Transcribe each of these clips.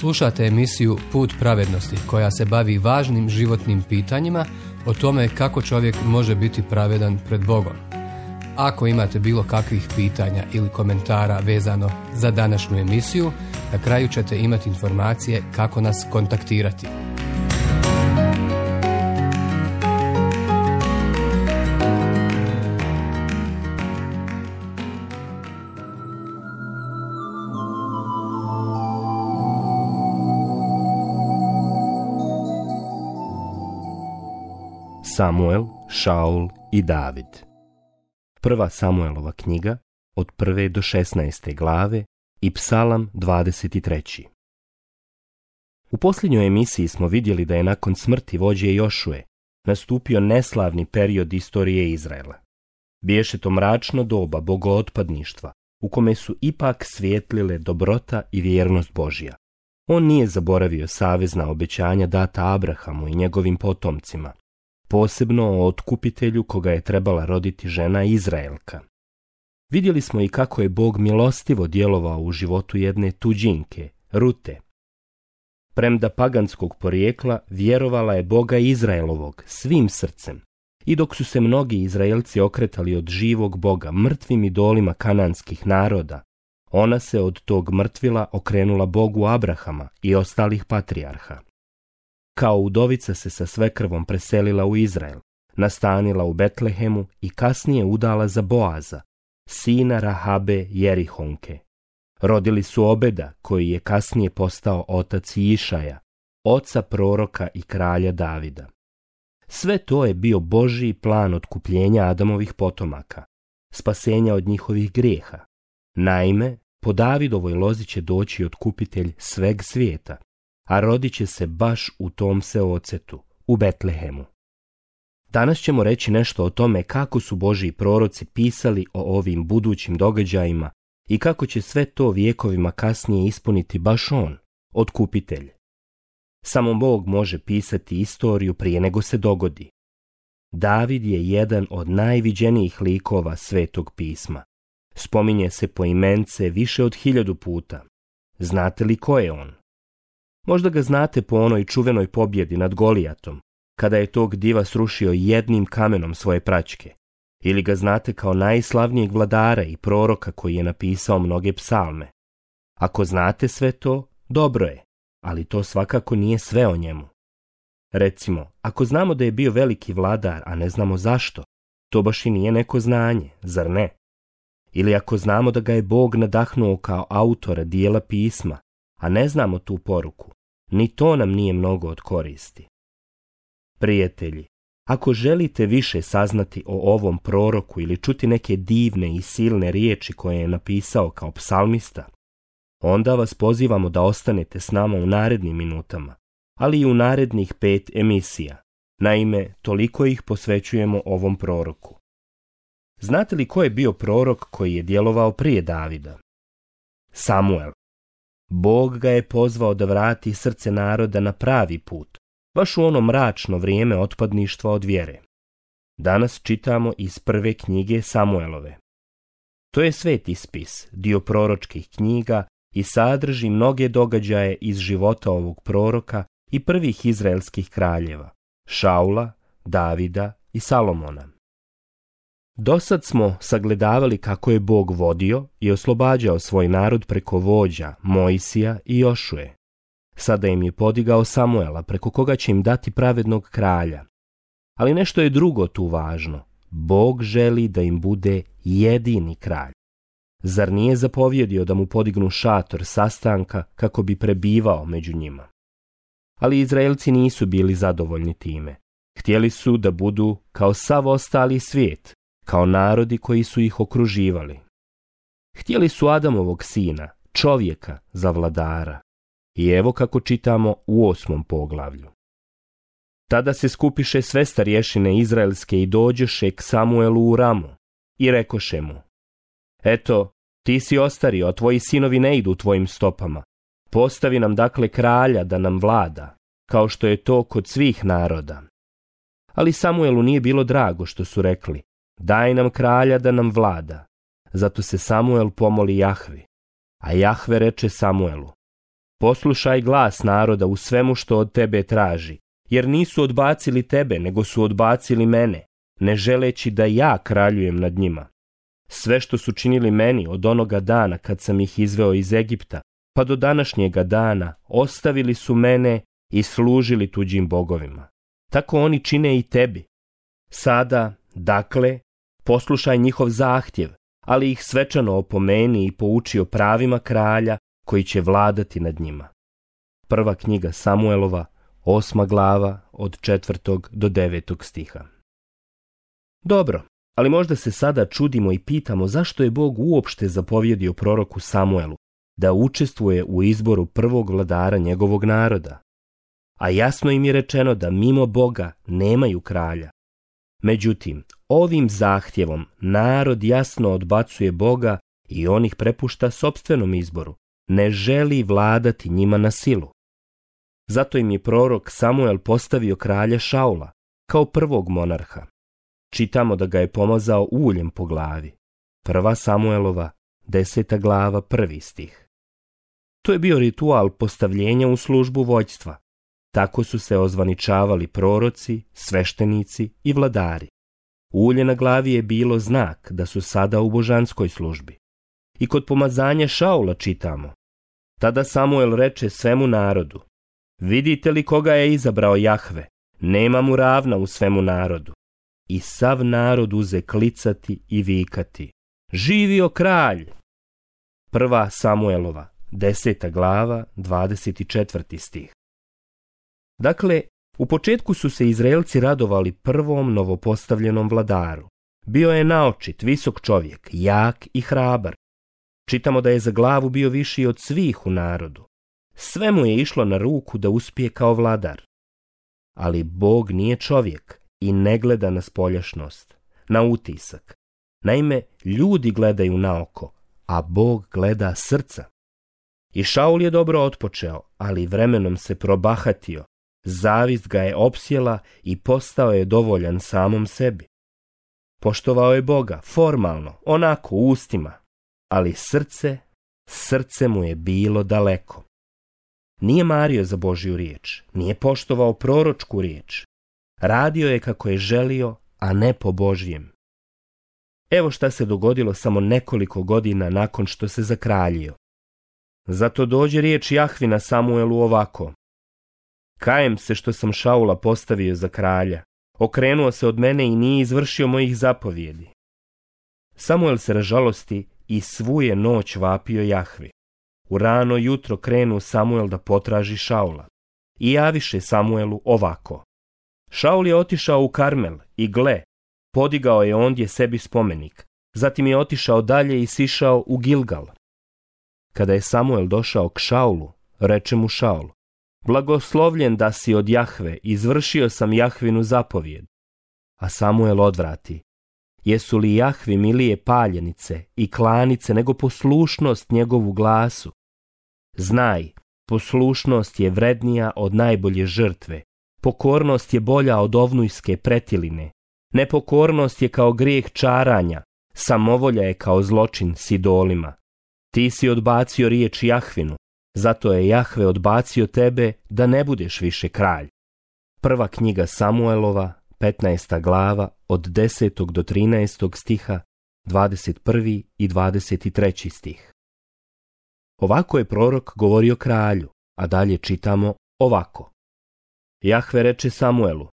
Slušate emisiju Put pravednosti koja se bavi važnim životnim pitanjima o tome kako čovjek može biti pravedan pred Bogom. Ako imate bilo kakvih pitanja ili komentara vezano za današnju emisiju, na kraju ćete imati informacije kako nas kontaktirati. Samuel, Šaul i David. Prva Samuelova knjiga od 1. do 16. glave i Psalam 23. U posljednjoj emisiji smo vidjeli da je nakon smrti vođe Jošue nastupio neslavni period istorije Izraela. Biješe to mračno doba bogootpadništva u kome su ipak svijetlile dobrota i vjernost Božja. On nije zaboravio savezna obećanja data Abrahamu i njegovim potomcima, posebno o otkupitelju koga je trebala roditi žena Izraelka. Vidjeli smo i kako je Bog milostivo djelovao u životu jedne tuđinke, Rute. Premda paganskog porijekla, vjerovala je Boga Izraelovog svim srcem. I dok su se mnogi Izraelci okretali od živog Boga mrtvim idolima kananskih naroda, ona se od tog mrtvila okrenula Bogu Abrahama i ostalih patrijarha. Kao udovica se sa svekrvom preselila u Izrael, nastanila u Betlehemu i kasnije udala za Boaza, sina Rahabe Jerihonke. Rodili su Obeda, koji je kasnije postao otac Išaja, oca proroka i kralja Davida. Sve to je bio Božji plan otkupljenja Adamovih potomaka, spasenja od njihovih grijeha. Naime, po Davidovoj lozi će doći otkupitelj sveg svijeta, a rodit će se baš u tom seocetu, u Betlehemu. Danas ćemo reći nešto o tome kako su Božji proroci pisali o ovim budućim događajima i kako će sve to vjekovima kasnije ispuniti baš on, otkupitelj. Samo Bog može pisati istoriju prije nego se dogodi. David je jedan od najviđenijih likova Svetog pisma. Spominje se poimence više od 1000 puta. Znate li ko je on? Možda ga znate po onoj čuvenoj pobjedi nad Golijatom, kada je tog diva srušio jednim kamenom svoje praćke. Ili ga znate kao najslavnijeg vladara i proroka koji je napisao mnoge psalme. Ako znate sve to, dobro je, ali to svakako nije sve o njemu. Recimo, ako znamo da je bio veliki vladar, a ne znamo zašto, to baš i nije neko znanje, zar ne? Ili ako znamo da ga je Bog nadahnuo kao autora dijela pisma, a ne znamo tu poruku, ni to nam nije mnogo od koristi. Prijatelji, ako želite više saznati o ovom proroku ili čuti neke divne i silne riječi koje je napisao kao psalmista, onda vas pozivamo da ostanete s nama u narednim minutama, ali i u narednih 5 emisija. Naime, toliko ih posvećujemo ovom proroku. Znate li ko je bio prorok koji je djelovao prije Davida? Samuel. Bog ga je pozvao da vrati srce naroda na pravi put, baš u ono mračno vrijeme otpadništva od vjere. Danas čitamo iz prve knjige Samuelove. To je sveti spis, dio proročkih knjiga i sadrži mnoge događaje iz života ovog proroka i prvih izraelskih kraljeva, Šaula, Davida i Salomona. Dosad smo sagledavali kako je Bog vodio i oslobađao svoj narod preko vođa Mojsija i Jošue. Sada im je podigao Samuela, preko koga će im dati pravednog kralja. Ali nešto je drugo tu važno. Bog želi da im bude jedini kralj. Zar nije zapovjedio da mu podignu šator sastanka kako bi prebivao među njima? Ali Izraelci nisu bili zadovoljni time. Htjeli su da budu kao sav ostali svijet, kao narodi koji su ih okruživali. Htjeli su Adamovog sina, čovjeka, za vladara. I evo kako čitamo u 8. poglavlju. Tada se skupiše sve starješine izraelske i dođeše k Samuelu u Ramu i rekoše mu: Eto, ti si ostario, a tvoji sinovi ne idu tvojim stopama. Postavi nam dakle kralja da nam vlada, kao što je to kod svih naroda. Ali Samuelu nije bilo drago što su rekli: Daj nam kralja da nam vlada. Zato se Samuel pomoli Jahvi, a Jahve reče Samuelu: Poslušaj glas naroda u svemu što od tebe traži, jer nisu odbacili tebe, nego su odbacili mene, ne želeći da ja kraljujem nad njima. Sve što su činili meni od onoga dana kad sam ih izveo iz Egipta, pa do današnjega dana, ostavili su mene i služili tuđim bogovima. Tako oni čine i tebi. Sada, dakle, poslušaj njihov zahtjev, ali ih svečano opomeni i pouči o pravima kralja koji će vladati nad njima. Prva knjiga Samuelova, 8. glava, od 4. do 9. stiha. Dobro, ali možda se sada čudimo i pitamo zašto je Bog uopšte zapovjedio proroku Samuelu da učestvuje u izboru prvog vladara njegovog naroda. A jasno im je rečeno da mimo Boga nemaju kralja. Međutim, ovim zahtjevom narod jasno odbacuje Boga i on ih prepušta sopstvenom izboru, ne želi vladati njima na silu. Zato im je prorok Samuel postavio kralja Šaula kao prvog monarha. Čitamo da ga je pomazao uljem po glavi. 1. Samuelova, 10. glava, 1. stih. To je bio ritual postavljenja u službu vođstva. Tako su se ozvaničavali proroci, sveštenici i vladari. Ulje na glavi je bilo znak da su sada u božanskoj službi. I kod pomazanja Šaula čitamo: tada Samuel reče svemu narodu: vidite li koga je izabrao Jahve, nema mu ravna u svemu narodu. I sav narod uze klicati i vikati: živio kralj! 1. Samuelova, 10. glava, 24. stih. Dakle, u početku su se Izraelci radovali prvom novopostavljenom vladaru. Bio je naočit, visok čovjek, jak i hrabar. Čitamo da je za glavu bio viši od svih u narodu. Sve mu je išlo na ruku da uspije kao vladar. Ali Bog nije čovjek i ne gleda na spoljašnost, na utisak. Naime, ljudi gledaju na oko, a Bog gleda srca. I Šaul je dobro otpočeo, ali vremenom se probahatio. Zavist ga je opsjela i postao je dovoljan samom sebi. Poštovao je Boga, formalno, onako u ustima, ali srce mu je bilo daleko. Nije mario za Božju riječ, nije poštovao proročku riječ. Radio je kako je želio, a ne po Božjem. Evo šta se dogodilo samo nekoliko godina nakon što se zakraljio. Zato dođe riječ Jahvina Samuelu ovako: kajem se što sam Šaula postavio za kralja, okrenuo se od mene i nije izvršio mojih zapovjedi. Samuel se ražalosti i svu je noć vapio Jahvi. U rano jutro krenu Samuel da potraži Šaula i javiše Samuelu ovako: Šaul je otišao u Karmel i gle, podigao je ondje sebi spomenik, zatim je otišao dalje i sišao u Gilgal. Kada je Samuel došao k Šaulu, reče mu Šaul: blagoslovljen da si od Jahve, izvršio sam Jahvinu zapovjed. A Samuel odvrati: jesu li Jahvi milije paljenice i klanice nego poslušnost njegovu glasu? Znaj, poslušnost je vrednija od najbolje žrtve, pokornost je bolja od ovnujske pretiline, nepokornost je kao grijeh čaranja, samovolja je kao zločin s idolima. Ti si odbacio riječ Jahvinu, zato je Jahve odbacio tebe da ne budeš više kralj. Prva knjiga Samuelova, 15. glava, od 10. do 13. stiha, 21. i 23. stih. Ovako je prorok govorio kralju, a dalje čitamo ovako: Jahve reče Samuelu: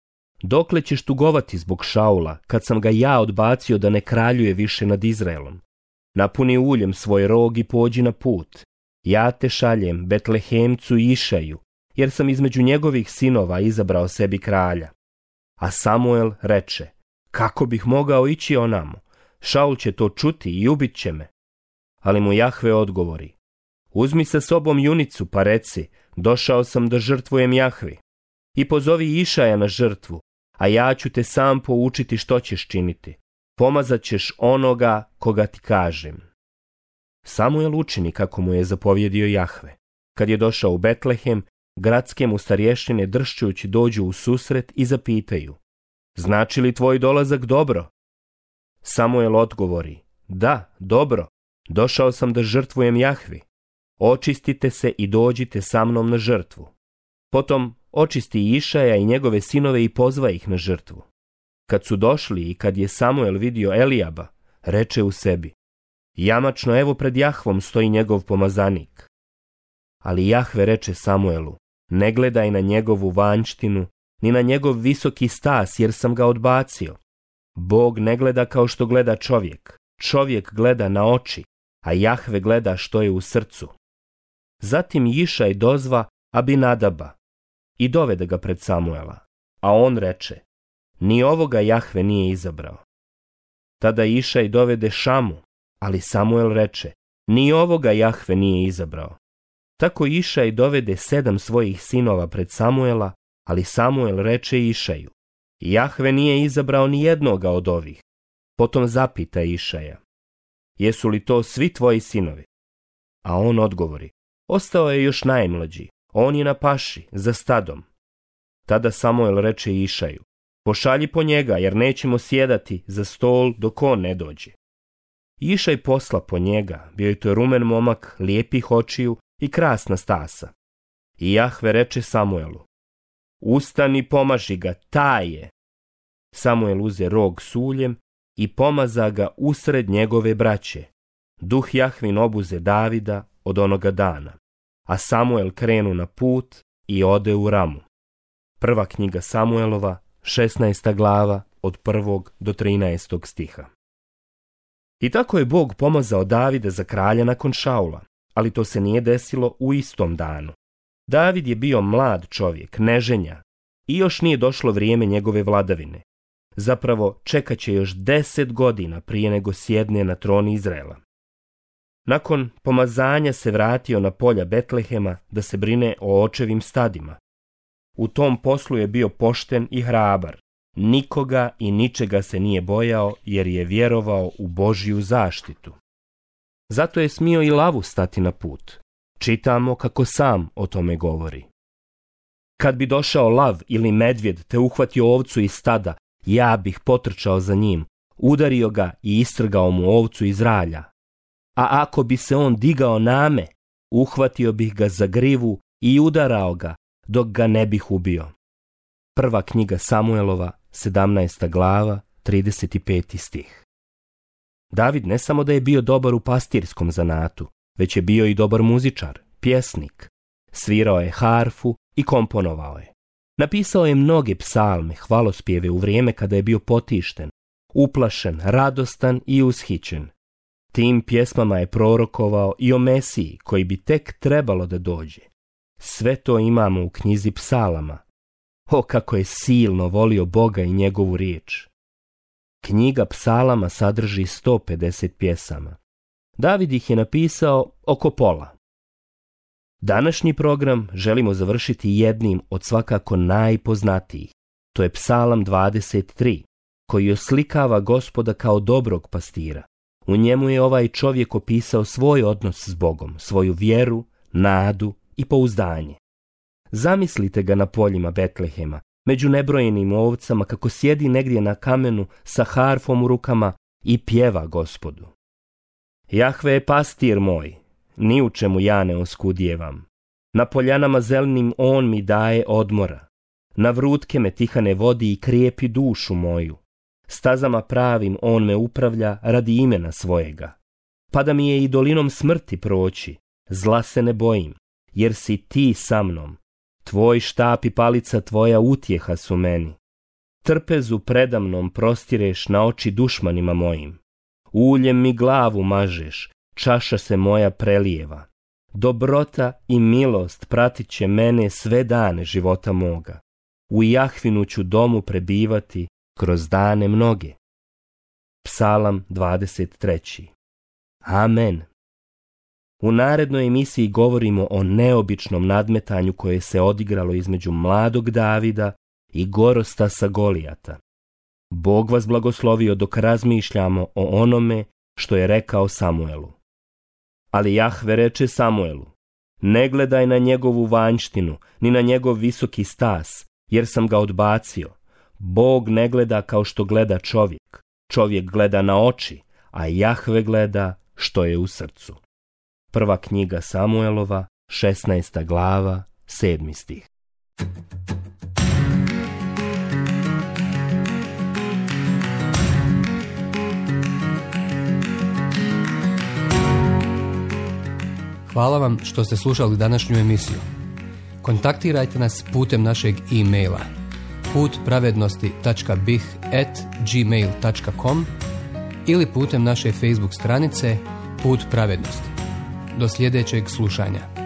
dokle ćeš tugovati zbog Šaula, kad sam ga ja odbacio da ne kraljuje više nad Izraelom? Napuni uljem svoj rog i pođi na put. Ja te šaljem Betlehemcu i Išaju, jer sam između njegovih sinova izabrao sebi kralja. A Samuel reče: kako bih mogao ići onamo? Šaul će to čuti i ubit će me. Ali mu Jahve odgovori: uzmi sa sobom junicu pa reci: došao sam da žrtvujem Jahvi. I pozovi Išaja na žrtvu, a ja ću te sam poučiti što ćeš činiti. Pomazat ćeš onoga koga ti kažem. Samuel učini kako mu je zapovjedio Jahve. Kad je došao u Betlehem, gradske mu starješine dršćujući dođu u susret i zapitaju: znači li tvoj dolazak dobro? Samuel odgovori: da, dobro, došao sam da žrtvujem Jahvi. očistite se i dođite sa mnom na žrtvu. Potom očisti Išaja i njegove sinove i pozva ih na žrtvu. Kad su došli i kad je Samuel vidio Elijaba, reče u sebi: jamačno, evo pred Jahvom stoji njegov pomazanik. Ali Jahve reče Samuelu: ne gledaj na njegovu vanjštinu, ni na njegov visoki stas, jer sam ga odbacio. Bog ne gleda kao što gleda čovjek. Čovjek gleda na oči, a Jahve gleda što je u srcu. Zatim Išaj dozva Abinadaba i dovede ga pred Samuela, a on reče: ni ovoga Jahve nije izabrao. Tada Išaj dovede Šamu, ali Samuel reče: ni ovoga Jahve nije izabrao. Tako Išaj dovede 7 svojih sinova pred Samuela, ali Samuel reče Išaju: Jahve nije izabrao ni jednoga od ovih. Potom zapita Išaja: jesu li to svi tvoji sinovi? A on odgovori: ostao je još najmlađi, on je na paši, za stadom. Tada Samuel reče Išaju: pošalji po njega, jer nećemo sjedati za stol dok on ne dođe. Išaj posla po njega, bio je to rumen momak, lijepih očiju i krasna stasa. I Jahve reče Samuelu: ustani, pomaži ga, taj je. Samuel uze rog s uljem i pomaza ga usred njegove braće. Duh Jahvin obuze Davida od onoga dana, a Samuel krenu na put i ode u Ramu. Prva knjiga Samuelova, 16. glava, od 1. do 13. stiha. I tako je Bog pomazao Davida za kralja nakon Šaula, ali to se nije desilo u istom danu. David je bio mlad čovjek, neženja, i još nije došlo vrijeme njegove vladavine. Zapravo, čekat će još 10 godina prije nego sjedne na tron Izraela. Nakon pomazanja se vratio na polja Betlehema da se brine o očevim stadima. U tom poslu je bio pošten i hrabar. Nikoga i ničega se nije bojao, jer je vjerovao u Božju zaštitu. Zato je smio i lavu stati na put. Čitamo kako sam o tome govori. Kad bi došao lav ili medvjed te uhvatio ovcu iz stada, ja bih potrčao za njim, udario ga i istrgao mu ovcu iz ralja. A ako bi se on digao na me, uhvatio bih ga za grivu i udarao ga, dok ga ne bih ubio. Prva knjiga Samuelova, 17. glava, 35. stih. David ne samo da je bio dobar u pastirskom zanatu, već je bio i dobar muzičar, pjesnik. Svirao je harfu i komponovao je. Napisao je mnoge psalme, hvalospjeve u vrijeme kada je bio potišten, uplašen, radostan i ushićen. Tim pjesmama je prorokovao i o Mesiji koji bi tek trebalo da dođe. Sve to imamo u knjizi psalama. O, kako je silno volio Boga i njegovu riječ. Knjiga psalama sadrži 150 pjesama. David ih je napisao oko pola. Današnji program želimo završiti jednim od svakako najpoznatijih. To je psalam 23, koji oslikava Gospoda kao dobrog pastira. U njemu je ovaj čovjek opisao svoj odnos s Bogom, svoju vjeru, nadu i pouzdanje. Zamislite ga na poljima Betlehema, među nebrojenim ovcama, kako sjedi negdje na kamenu sa harfom u rukama i pjeva Gospodu. Jahve je pastir moj, ni u čemu ja ne oskudjevam. Na poljanama zelenim on mi daje odmora. Na vrutke me tihane vodi i krijepi dušu moju. Stazama pravim on me upravlja radi imena svojega. Pa da mi je i dolinom smrti proći, zla se ne bojim, jer si ti sa mnom. Tvoj štap i palica tvoja utjeha su meni. Trpezu predamnom prostireš na oči dušmanima mojim. Uljem mi glavu mažeš, čaša se moja prelijeva. Dobrota i milost pratit će mene sve dane života moga. U Jahvinu ću domu prebivati kroz dane mnoge. Psalam 23. Amen. U narednoj emisiji govorimo o neobičnom nadmetanju koje se odigralo između mladog Davida i Gorostasa Golijata. Bog vas blagoslovio dok razmišljamo o onome što je rekao Samuelu. Ali Jahve reče Samuelu: ne gledaj na njegovu vanjštinu, ni na njegov visoki stas, jer sam ga odbacio. Bog ne gleda kao što gleda čovjek. Čovjek gleda na oči, a Jahve gleda što je u srcu. Prva knjiga Samuelova, 16. glava, 7. stih. Hvala vam što ste slušali današnju emisiju. Kontaktirajte nas putem našeg e-maila putpravednosti.bih@gmail.com ili putem naše Facebook stranice Put pravednosti. Do sljedećeg slušanja.